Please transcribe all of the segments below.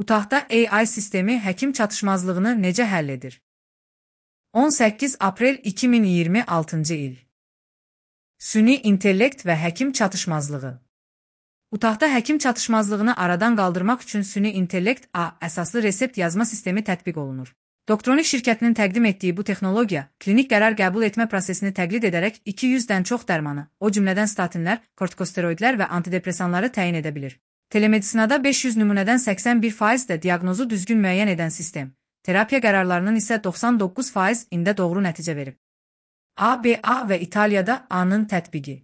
Utahda AI sistemi həkim çatışmazlığını necə həll edir? 18 aprel 2026-cı il. Süni intellekt və həkim çatışmazlığı. Utahda həkim çatışmazlığını aradan qaldırmaq üçün süni intellekt əsaslı resept yazma sistemi tətbiq olunur. Doktronik şirkətinin təqdim etdiyi bu texnologiya, klinik qərar qəbul etmə prosesini təqlid edərək 200-dən çox dərmanı, o cümlədən statinlər, kortikosteroidlər və antidepresanları təyin edə bilir. Telemedisinada 500 nümunədən 81% də diaqnozu düzgün müəyyən edən sistem, terapiya qərarlarının isə 99%-ində doğru nəticə verib. ABA və İtaliyada A-nın tətbiqi.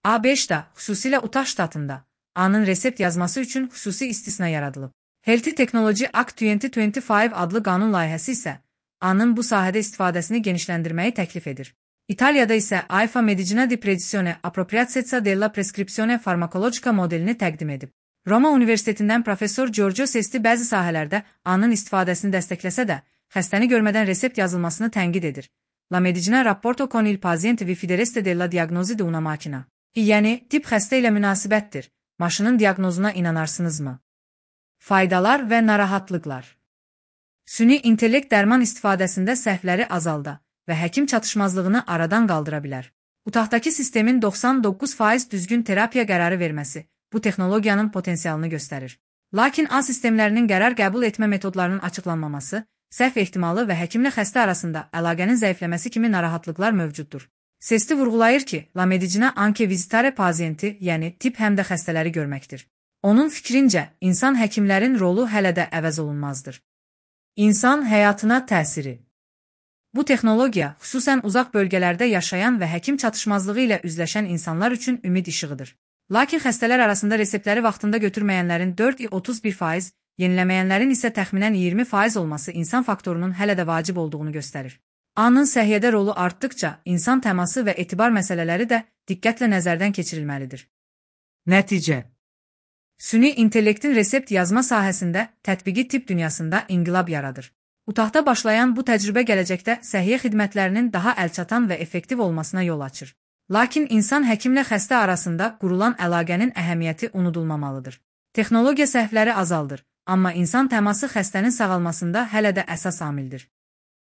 A5-də, xüsusilə Utah ştatında, A-nın resept yazması üçün xüsusi istisna yaradılıb. Healthy Technology Act 2025 adlı qanun layihəsi isə A-nın bu sahədə istifadəsini genişləndirməyi təklif edir. İtaliyada isə AIFA Medicina di Precisione Appropriatezza della Prescrizione Farmacologica modelini təqdim edib. Roma Universitetindən professor Giorgio Sesti bəzi sahələrdə A-nın istifadəsini dəstəkləsə də, xəstəni görmədən resept yazılmasını tənqid edir. La Medicina rapporto con il paziente vi fidereste della diagnosi di una macchina. Yəni, tip xəstə ilə münasibətdir. Maşının diaqnozuna inanarsınızmı? Faydalar və narahatlıqlar. Süni intellekt dərman istifadəsində səhvləri azalda və həkim çatışmazlığını aradan qaldıra bilər. Utahdakı sistemin 99% düzgün terapiya qərarı verməsi bu texnologiyanın potensialını göstərir. Lakin A sistemlərinin qərar qəbul etmə metodlarının açıqlanmaması, səhv ehtimalı və həkimlə xəstə arasında əlaqənin zəifləməsi kimi narahatlıqlar mövcuddur. Sesti vurğulayır ki, La Medicina anche visitare pazienti, yəni tip həm də xəstələri görməkdir. Onun fikrincə, insan həkimlərin rolu hələ də əvəz olunmazdır. İnsan həyatına təsiri. Bu texnologiya, xüsusən uzaq bölgələrdə yaşayan və həkim çatışmazlığı ilə üzləşən insanlar üçün ümid işığıdır. Lakin xəstələr arasında reseptləri vaxtında götürməyənlərin 4-31%, yeniləməyənlərin isə təxminən 20% olması insan faktorunun hələ də vacib olduğunu göstərir. A-nın səhiyyədə rolu artdıqca, insan təması və etibar məsələləri də diqqətlə nəzərdən keçirilməlidir. Nəticə. Süni intellektin resept yazma sahəsində tətbiqi tibb dünyasında inqilab yaradır. Utahda başlayan bu təcrübə gələcəkdə səhiyyə xidmətlərinin daha əlçatan və effektiv olmasına yol açır. Lakin insan həkimlə xəstə arasında qurulan əlaqənin əhəmiyyəti unudulmamalıdır. Texnologiya səhvləri azaldır, amma insan təması xəstənin sağalmasında hələ də əsas amildir.